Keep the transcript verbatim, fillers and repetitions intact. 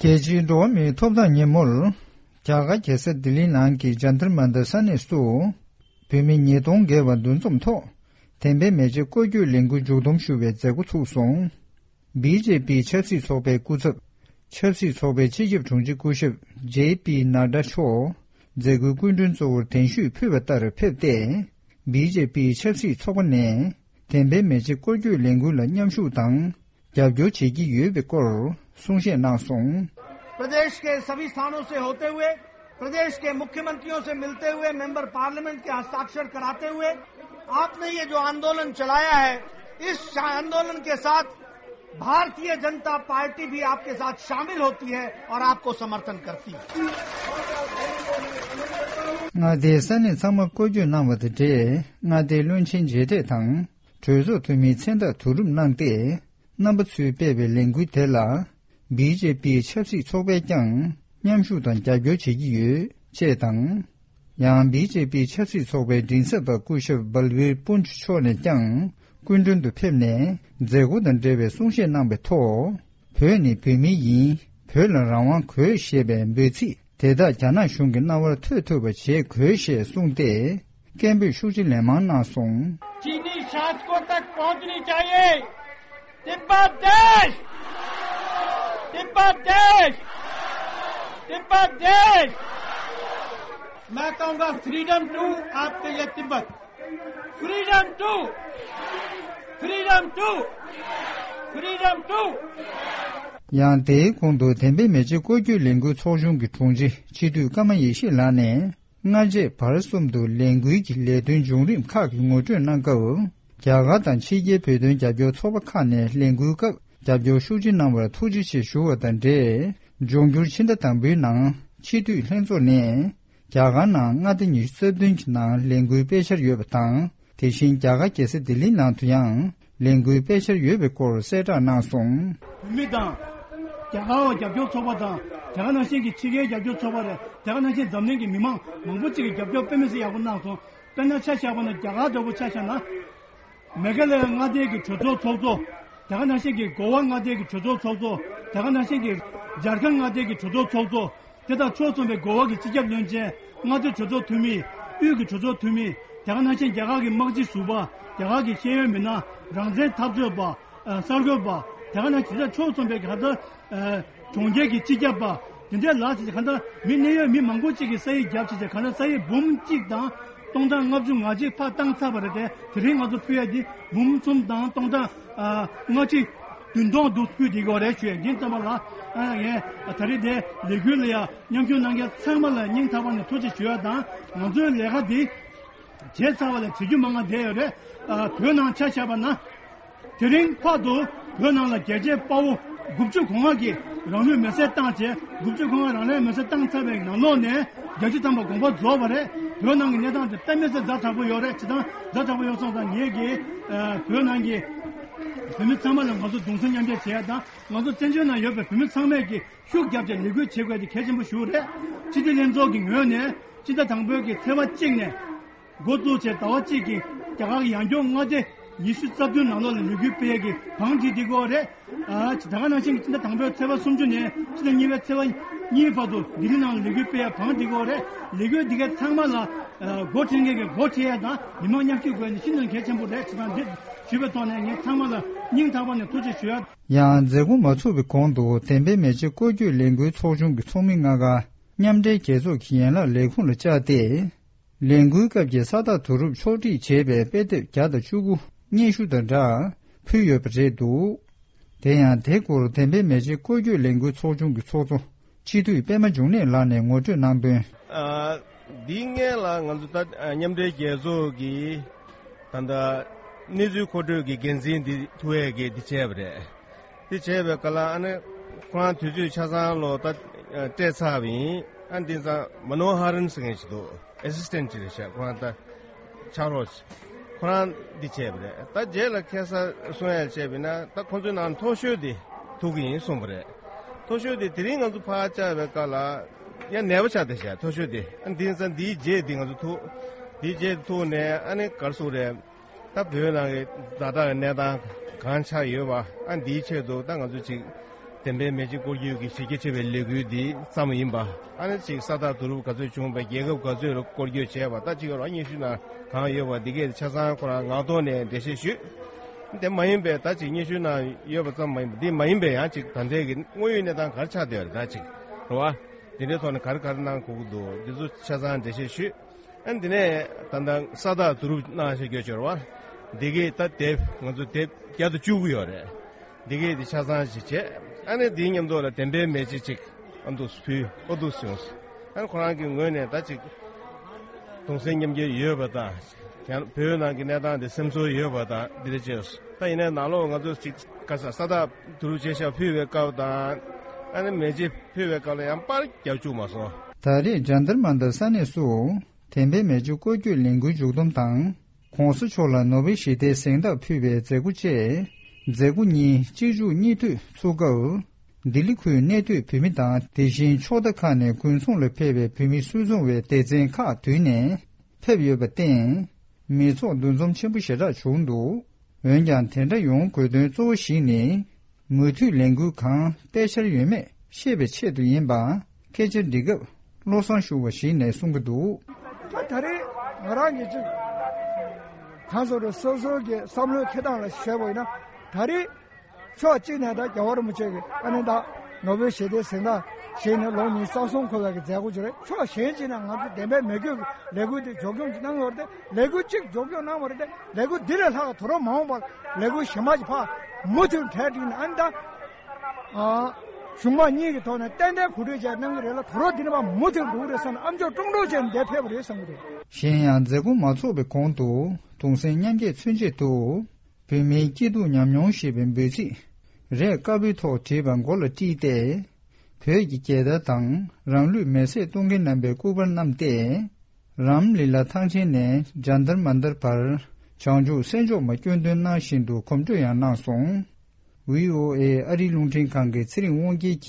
རྒྱལ་སྤྱིའི་འགྲོ་བ་མིའི་ཐོབ་ཐང་ཉིན་མོར། རྒྱ་གར་རྒྱལ་ས་ལྡི་ལིའི་ནང་གི་ཇཱན་ཏར་མན་ཏར་ས་གནས་སུ། བོད་མི་ཉིས་སྟོང་བརྒལ་བ་འདུ་འཛོམས་ཐོག་དེ་འབད་མི་བྱེད་སྐོར་སྐྱོད་ལས་འགུལ་མཇུག་བསྡོམས་ཞུ་བའི་མཛད་སྒོ་ཚུགས་སོང་། བི་ཇེ་པི་ཆབ་སྲིད་ཚོགས་པའི་སྐུ་ཚབ། ཆབ་སྲིད་ཚོགས་པའི་སྤྱི་ཁྱབ་དྲུང་ཆེ་སྐུ་ཞབས་ཇེ་པི་ནཱ་ཌ་མཆོག་མཛད་སྒོའི་སྐུ་མགྲོན་གཙོ་བོར་གདན་ཞུས་ཕུལ་བ་ལྟར་ཕེབས་ཏེ། བི་ཇེ་པི་ཆབ་སྲིད་ཚོགས་པ་ནས་དེ་འབད་མི་བྱེད་སྐོར་སྐྱོད་ལས་འགུལ་ལ་མཉམ་ཞུགས་དང་རྒྱབ་སྐྱོར་བྱེད་ཀྱི་ཡོད་པའི་སྐོར་གསུང་བཤད་གནང་སོང་། प्रदेश के सभी स्थानों से होते हुए, प्रदेश के मुख्यमंत्रियों से मिलते हुए, मेंबर पार्लियामेंट के हस्ताक्षर कराते हुए, आपने ये जो आंदोलन चलाया है, इस आंदोलन के साथ भारतीय जनता पार्टी भी आपके साथ शामिल होती है और आपको समर्थन करती है। མངའ་སྡེའི་ས་གནས་ཚང་མ་སྐོར་སྐྱོད་གནང་བ་དང་འབྲེལ། མངའ་སྡེའི་བློན་ཆེན་མཇལ་འཕྲད་དང་གྲོས་ཚོགས་འཐུས་མིའི་མཚན་རྟགས་བསྡུ་རུབ་གནང་སྟེ། རྣམ་པ་ཚོས་སྤེལ་བའི་ལས་འགུལ་དེ་ལ། བི་ཇེ་པི་ཆབ་སྲིད་ཚོགས་པས་ཀྱང་མཉམ་ཞུགས་དང་རྒྱབ་སྐྱོར་བྱེད་ཀྱི་ཡོད། ཅེས་དང་། ཡང་བི་ཇེ་པི་ཆབ་སྲིད་ཚོགས་པའི་མགྲིན་ཚབ་པ་སྐུ་ཞབས་བལ་བིར་པུན་ཇུ་མཆོག་ནས་ཀྱང་སྐུ་མགྲོན་དུ་ཕེབས་ནས་མཛད་སྒོ་དང་འབྲེལ་བའི་གསུང་བཤད་གནང་བའི་ཐོག་བོད་ནི་བོད་མི་ཡིན། བོད་ལ་རང་དབང་དགོས་ཞེས་པའི་འབོད་ཚིག་དེ་དག་རྒྱ་ནག་གཞུང་གི་རྣ་བར་ཐོས་ཐུབ་པ་བྱེད་དགོས་ཞེས་གསུངས་ཏེ། སྐད་འབོད་ཤུགས་ཆེ་ལན་མང་གནང་སོང་། चीनी शासकों तक पहुंचनी चाहिए। तिब्बत देश, तिब्बत देश, तिब्बत देश। मैं कहूंगा, फ्रीडम टू आपके लिए Tibet, freedom to, freedom to, freedom to. ཡང་དེའི་གོང་དུ་དེ་འབད་མི་བྱེད་སྐོར་སྐྱོད་ལས་འགུལ་ཚོགས་ཆུང་གི་དྲུང་ཆེ་སྤྱི་འཐུས་ཀརྨ་ཡེ་ཤེས་ལགས་ནས། སྔ་རྗེས་བར་གསུམ་དུ་ལས་འགུལ་གྱི་ལས་དོན་བྱུང་རིམ་ཁག་གི་ངོ་སྤྲོད་གནང་སྐབས། རྒྱ་གར་དང་ཕྱི་རྒྱལ་བོད་དོན་རྒྱབ་སྐྱོར་ཚོགས་པ་ཁག་ནས་ལས་འགུལ་སྐབས་རྒྱབ་སྐྱོར་ཤུགས་ཆེ་གནང་བར་ཐུགས་རྗེ་ཆེ་ཞུ་བ་དང་འབྲེལ། འབྱུང་འགྱུར་ཕྱི་ཟླ་དང་པོའི་ནང་སྤྱི་འཐུས་ལྷན་ཚོགས་ནས། རྒྱ་གར་ནང་མངའ་སྡེ་ཉི་ཤུ་རྩ་བདུན་གྱི་ནང་ལས་འགུལ་སྤེལ་འཆར་ཡོད་པ་དང་། དེ་བཞིན་རྒྱ་གར་རྒྱལ་ས་ལྡི་ལིའི་ནང་དུ་ཡང་ལས་འགུལ་སྤེལ་འཆར་ཡོད་པའི་སྐོར་གསལ་བསྒྲགས་གནང་སོང་། བོད་མི་དང་། རྒྱ་གར་བ་རྒྱབ་སྐྱོར་ཚོགས་པ་དང་། དེ་ག་ནང་བཞིན་གྱི་ཕྱི་རྒྱལ་རྒྱབ་སྐྱོར་ཚོགས་པ་རེད། དེ་ག་ནང་བཞིན་འཛམ་གླིང་གི་མི་མང་མང་པོ་ཅིག་གིས་རྒྱབ་སྐྱོར་དཔེ་མི་སྲིད་ཡག་པོ་གནང་སོང་། དཔེར་ན་ཆ་བཞག་པ་ན་རྒྱ་གར་འདྲ་པོ་ཆ་བཞག་ན། མེ་གྷ་ལ་ཡ་མངའ་སྡེ་གི་གྲོས་ཚོགས་ཚོགས་གཙོ། དེ་ག་ནང་བཞིན་གྱི་གོ་བ་མངའ་སྡེ་གི་གྲོས་ཚོགས་ཚོགས་གཙོ། དེ་ག་ནང་བཞིན་གྱི་ཇར་ཁན་མངའ་སྡེ་གི་གྲོས་ཚོགས་ཚོགས་གཙོ། དེ་དང་ཕྱོགས་མཚུངས་པའི་གོ་བ་གི་སྤྱི་ཁྱབ་བློན་ཆེན། མངའ་སྡེ་གྲོས་ཚོགས་འཐུས་མི། དབུས་ཀྱི་གྲོས་ཚོགས་འཐུས་མི། དེ་ག་ནང་བཞིན་རྒྱ་གར་གྱི་དམག་སྤྱི་ཟུར་པ། རྒྱ་གར་གྱི་ཤེས་ཡོན་མི་སྣ། རང་བཙན་འཐབ་རྩོད་པ། ཨ། གསར་འགོད་པ། དེ་ག་ནང་བཞིན་ཕྱོགས་མཚུངས་པའི་གང་ལྟར། ཨ། གྲོང་ཁྱེར་གྱི་སྤྱི་ཁྱབ་པ། དེ་འདྲའི་ལ་ཞིག་གང་ལྟར་མི་གནད་ཡོད་མི་མང་པོ་ཅིག་གིས་ས་ཡིག་བརྒྱབ་བྱས་བྱས་གང་ལྟར་ས་ཡིག་འབུམ་གཅིག་དང་སྟོང་གྲངས་ལྔ་བཅུ་ང་གཅིག་ཕར་བཏང་ཚར་བ་རེད་དེ། དེ་རིང་ང་ཚོ་ཕུལ་ཡ་འདི་འབུམ་གསུམ་དང་སྟོང་གྲངས། ཨ། ལྔ་གཅིག་བདུན་སྟོང་འདུག་ཕུལ་བསྡད་ཀྱི་ཡོད་རེད་ཞུ་ཡ་ཡིན། ཙམ་པ་ལ། ཨ། ངས་ད་རེས་དེ་ལས་འགུལ་ལ་ཡ་མཉམ་ཞུགས་གནང་མཁན་ཚང་མ་ལ་སྙིང་ཐག་པ་ནས་ཐུགས་རྗེ་ཞུ་ཡ་དང་། ང་ཚོའི་ལས་ཀ་འདི་བྱས་ཚར་བ་ལ་བྱེད་རྒྱུ་མང་ང་བསྡད་ཡོད་རེད། ཨ། བོད་ནང་ཆ་བཞག་པ་ན། དེ་རིང་བར་དུ་བོད་ནང་ལ་རྒྱལ་གཅེས་དཔའ་བོ་དགུ་བཅུ་གོ་ལྔ་གིས་རང་ལུས་མེར་སྲེག་བཏང་བྱས། དགུ་བཅུ་གོ་ལྔ་རང་ལུས་མེར་སྲེག་བཏང་ཚར་བའི་ནང་ལོགས་ནས་བརྒྱད་ཅུ་ཐམ་པ་དགོངས་པ་རྫོགས་པ་རེད། བོད་ནང་གི་གནས་སྟངས་དེ་དཔེ་མི་སྲིད་ཛ་དྲག་པོ་ཡོད་རེད། བྱས་ཙང་ཛ་དྲག་པོ་ཡོད་སོང་ཙང་ངེད་ཀྱིས། ཨ། བོད་ནང་གི་བོད་མི་ཚང་མ་ལ་ང་ཚོ་གདུང་སེམས་མཉམ་སྐྱེད་བྱེད་ཡ་དང་། ང་ཚོ་བཙན་བྱོལ་ནང་ཡོད་པའི་བོད་མི་ཚང་མས་ཀྱིས་ཤུགས་བརྒྱབ་བྱས་ལས་འགུལ་བྱེད་དགོས་དེ་གལ་ཆེན་པོ་ཞིག་རེད། སྤྱི་འཐུས་ལྷན་ཚོགས་ཀྱི་ངོས་ནས་སྤྱི་ཟླ་དང་པོའི་གི་ཚེས་པ་གཅིག་ནས། འགོ་བཙུགས་བྱས་ཟླ་བ་གཅིག་གི་རྒྱ་གར་གྱི་ཡང་སྐྱོང་མངའ་སྡེ་ཉི་ཤུ་རྩ་བདུན་ནང་ལོགས་ལ་ལས་འགུལ་སྤེལ་ཡས་ཀྱི་བང་སྒྲིག་བསྡད་ཀྱི་ཡོད་རེད། ཨ། ད་ག་ནང་བཞིན་གྱི་སྤྱི་ཟླ་དང་པོའི་ཚེས་པ་སུམ་ཅུ་ནས་སྤྱི་ཟླ་གཉིས་པའི་ཚེས་པ་གཉིས་བར་དུ་ལྡི་ལི་ནང་ལ་ལས་འགུལ་སྤེལ་ཡས་བང་སྒྲིག་ཀྱི་ཡོད་རེད། ལས་འགུལ་འདི་གའི་ཚང་མ་ལ། ཨ། འགོ་ཁྲིད་མཁན་གྱིས་འགོ་ཁྲིད་ཡས་དང་མི་མང་མཉམ་ཞུགས་དགོས་ནི་ཤིན་ཏུ་གལ་ཆེན་པོ་རེད། བྱས་ཙང་འདི་ཞུས་པའི་ཐོག་ནས་ངས་ཚང་མ་ལ་སྙིང་ཐག་པ་ནས་ཐུགས་རྗེ་ཞུ་ཡ། ཡང་མཛད་སྒོ་མ་ཚུགས་པའི་གོང་དུ་དེ་འབད་མི་བྱེད་སྐོར་སྐྱོད་ལས་འགུལ་ཚོགས་ཆུང་གི་ཚོགས་མི་ལྔ་ཀ་མཉམ་འབྲེལ་རྒྱལ་ཚོགས་ཀྱི་ཡན་ལག་ལས་ཁུངས་ལ་བཅར་ཏེ། ལས་འགུལ་སྐབས་ཀྱི་ས་རྟགས་བསྡུ་རུབ་ཕྱོགས་སྒྲིག་བྱས་པའི་དཔེ་དེབ་བརྒྱ་དང་བཅུ་དགུ་སྙན་ཞུ་དང་སྦྲགས་ཕུལ་ཡོད་པ་རེད་འདུག་དེ་ཡང་དེ་སྐོར་དེ་འབད་མི་བྱེད་སྐོར་སྐྱོད་ལས་འགུལ་ཚོགས་ཆུང་གི་ཚོགས་གཙོ་སྤྱི་འཐུས་པད་མ་འབྱུང་གནས་ལགས་ནས་ངོ་སྤྲོད་གནང་དོན། ཨ། འདིའི་སྔོན་ལ་ང་ཚོ་ད་མཉམ་འབྲེལ་རྒྱལ་ཚོགས་ཀྱི་ད་ལྟ་གནས་ཚུལ་མཁོ་སྤྲོད་ཀྱི་འགན་འཛིན་འདི་ཐུ་ཝེ་གིས་འདི་བྱས་པ་རེད། དེ་བྱས་པའི་སྐབས་ལ་ཨ་ནི་ཁོ་རང་དུས་ཚོད་ཆ་ཚང་ལོ་ད་སྤྲད་ཚར་བ་ཡིན། ཨ། འདི་ཚང་མ་ནོ་ཧ་རན་ཟེར་མཁན་ཞིག་འདུག་ཨེ་སི་སི་ཊེན་ཊི་ཅིག་རེད་ཤག་ཁོ་རང་ད་ཕྱག་རོགས་ཅིག་ཁོ་རང་འདི་བྱས་པ་རེད། ད་རྗེས་ལ་ཁ་སང་གསུང་ཡ་བྱས་པ་ཡིན་ན་ད་ཁོང་ཚོའི་ནང་མཐོ་ཤོས་དེ་ཐུག་གི་ཡིན་གསུངས་པ་རེད། མཐོ་ཤོས་དེ་དེ་རིང་ང་ཚོ་ཕར་བཅར་བའི་སྐབས་ལ་ཡང་ནད་པ་ཆགས་བསྡད་ཤག་མཐོ་ཤོས་དེ། ཨ། འདི་ཚང་འདིའི་རྗེས་འདི་ང་ཚོ་ཐུག་འདིའི་རྗེས་ཐུག་ནས་ཨ་ནི་ག་རེ་ཟེར་དགོས་རེད། ད་བོད་ནང་གི་ཛ་དྲག་གི་གནས་སྟངས་གང་ཆགས་ཡོད་པ། ཨ། འདིའི་ཆེད་དུ་ད་ང་ཚོ་ཅིག་ བདེན་པའི་མེ་ལྕེ་སྐོར་སྐྱོད་ཀྱི་གཞི་རྒྱ་ཆེ་བའི་ལས་འགུལ་འདི་བརྩམས་ཡིན་པ། ཨ་ནི་ཅིག་ས་རྟགས་བསྡུ་རུབ་ག་ཚོད་བྱུང་བ། རྒྱལ་ཁབ་ག་ཚོད་ལ་སྐོར་སྐྱོད་བྱས་པ། ད་ཅིག་ཡོད་ར་སྙན་ཞུ་ནང་གང་ཡོད་པ་འདི་གས་ཆ་ཚང་ཁོ་རང་ངག་ཐོག་ནས་འགྲེལ་བཤད་ཞུས། དེ་མ་ཡིན་པའི་ད་ཅིག་སྙན་ཞུ་ནང་ཡོད་པ་ཙམ་མ་ཡིན་པ། འདི་མ་ཡིན་པའི་ཡང་ཅིག་ད་ལྟའི་གི་དངོས་ཡོད་གནས་སྟངས་ག་རེ་ཆགས་བསྡད་ཡོད་རེད། ད་ཅིག་རེད་བ། འདི་འདྲའི་ཐོག་ནས་ག་རེ་ག་རེ་གནང་དགོས་ཀྱི་འདུག་འདི་ཚོ་ཆ་ཚང་འགྲེལ་བཤད་ཞུས། ཨ་ནི་འདི་ནས་ད་ལྟ་ས་རྟགས་བསྡུ་རུབ་གནང་བཞག་ཡོད་ཅོར་བ། འདི་གས་ད་དེབ་ང་ཚོ་དེབ་བརྒྱ་དང་བཅུ་དགུ་ཡོད་རེད། འདི་གས་འདི་ཆ་ཚང་ཞིག་བྱས། ཨ་ནི་འདིའི་མཉམ་དུ་ལ་བདེན་པའི་མེ་ལྕེ་ཅིག་ཨ་འདུག་ཕུལ། ཨོ་འདུག་སེ་ཡོང་། ཨ་ནི་ཁོ་རང་གི་ངོས་ནས་ད་ཅིག་གདུང་སེམས་མཉམ་སྐྱེད་ཡོད་པ་དང་། ཡང་བོད་ནང་གི་གནས་སྟངས་འདི་སེམས་ཚོར་ཡོད་པ་དང་འདི་འདྲ་བྱས། ད་ཡིན་ནའི་ནང་ལོགས་ང་ཚོ་ཅིག་ག་ས་ས་རྟགས་བསྡུ་རུབ་བྱས་ཤག་ཕུལ་བའི་སྐབས་དང་། ཨ་ནི་མེ་ལྕེ་ཕུལ་བའི་སྐབས་ལ་ཡང་པར་རྒྱག་བཅུག་མ་སོང་། ད་རེས་ཇན་ཏར་མན་ཏར་ས་གནས་སུ་བདེན་པའི་མེ་ལྕེ་སྐོར་སྐྱོད་ལས་འགུལ་མཇུག་བསྡོམས་དང་། ྋགོང་ས་མཆོག་ལ་ནོ་བེལ་ཞི་བདེའི་གཟེངས་རྟགས་ཕུལ་བའི་མཛད་སྒོ་བཅས། མཛད་སྒོ་གཉིས་གཅིག་མཇུག་གཉིས་མཐུད་ཚུགས་སྐབས། ལྡི་ལི་ཁུལ་གནས་སྡོད་བོད་མི་དང་། དེ་བཞིན་ཕྱོགས་མཐའ་ཁག་ནས་དགོན་སོང་ལ་ཕེབས་པའི་བོད་མི་སུད་ཚོང་བའི་སྡེ་ཚན་ཁག་བསྡུས་ནས་ཕེབས་ཡོད་པར་བརྟེན། མི་ཚོགས་འདུ་འཛོམས་ཆེན་པོ་ཞེ་དྲག་བྱུང་འདུག་འོན་ཀྱང་དེ་འདྲ་ཡོང་དགོས་དོན་གཙོ་བོ་ཞིག་ནི། མུ་མཐུད་ལས་འགུལ་གང་སྤེལ་འཆར་ཡོད་མེད་ཤེས་པའི་ཆེད་དུ་ཡིན་པ་སྐད་ཆ་འདྲི་སྐབས་བློ་བཟང་ཞུ་བ་ཞིག་ནས་གསུང་གི་འདུག་ད་ད་རེས་ང་རང་གིས་ཅིག་གང་ཟེར་རེད། སོ་སོའི་གི་བསམ་བློའི་འཁྱེར་སྟངས་ལ་བཤད་པ་ཡིན་ན། ད་རེས་ཕྱོགས་གཅིག་ནས་ད་རྒྱལ་བ་རིན་པོ་ཆེ་གི་ཨ་ནི་ད་ནོ་བེལ་ཞི་བདེའི་གཟེངས་རྟགས་བཞེས་ནས་ལོ་ཉི་ཤུ་རྩ་གསུམ་འཁོར་བའི་གི་མཛད་སྒོ་ཅིག་རེད། ཕྱོགས་གཞན་གཅིག་ནས་ང་ཚོ་བདེན་པའི་མེ་སྐྱོན་གྱི་ལས་འགུལ་དེ་མགྱོགས་མྱུར་གནང་ཡོད་རེད་དེ། ལས་འགུལ་གཅིག་མགྱོགས་མྱུར་གནང་བ་རེད་དེ། ལས་འགུལ་འདི་ལས་ལྷག་དོ་རུང་མ་འོངས་པར་ལས་འགུལ་གཞན་པ་ཞིག་ཕར་མུ་མཐུད་གྲ་སྒྲིག་ནས། ཨ་ནི་ད་ཨ་གཞུང་མང་གཉིས་ཀྱི་ཐོག་ནས་ཏན་ཏན་གོ་སྒྲིག་བྱས་གནང་གི་རེད་ལ། དོ་རུང་འདི་ནས་ཕར་མུ་མཐུད་འགྲོ་གི་རེད་བསམ་ནས། ཨ་མཆོག་ཀྲོང་ཀྲོང་བྱས་ནས་འདིར་ཕེབས་པ་རེད་བསམ་གི་འདུག་གཞན་ཡང་མཛད་སྒོ་མ་ཚོགས་པའི་གོང་དུ་གདུང་སེམས་མཉམ་སྐྱེད་མཚོན་ཆེད་དུ། བོད་མིའི་སྐྱིད་སྡུག་ཉམས་མྱོང་ཞེས་པའི་འབོད་ཚིག་རས་དཀར་པོའི་ཐོག་བྲིས་པ་མགོ་ལ་དཀྲིས་ཏེ། བོད་ཀྱི་རྒྱལ་དར་དང་རང་ལུས་མེར་སྲེག་གཏོང་མཁན་རྣམ་པའི་སྐུ་པར་བསྣམས་ཏེ། རམ་ལི་ལ་ཐང་ཆེན་ནས་ཇན་ཏར་མན་ཏར་བར་བྱང་ཆུབ་སེམས་མཆོག་མ་སྐྱོན་འདོན་གནང་བཞིན་དུ་གོམ་བགྲོད་ཡང་གནང་སོང་། བྷི་ཨོ་ཨེ་ཨ་རིའི་རླུང་འཕྲིན་ཁང་གི་ཚེ་རིང་དབང་རྒྱལ་གྱིས།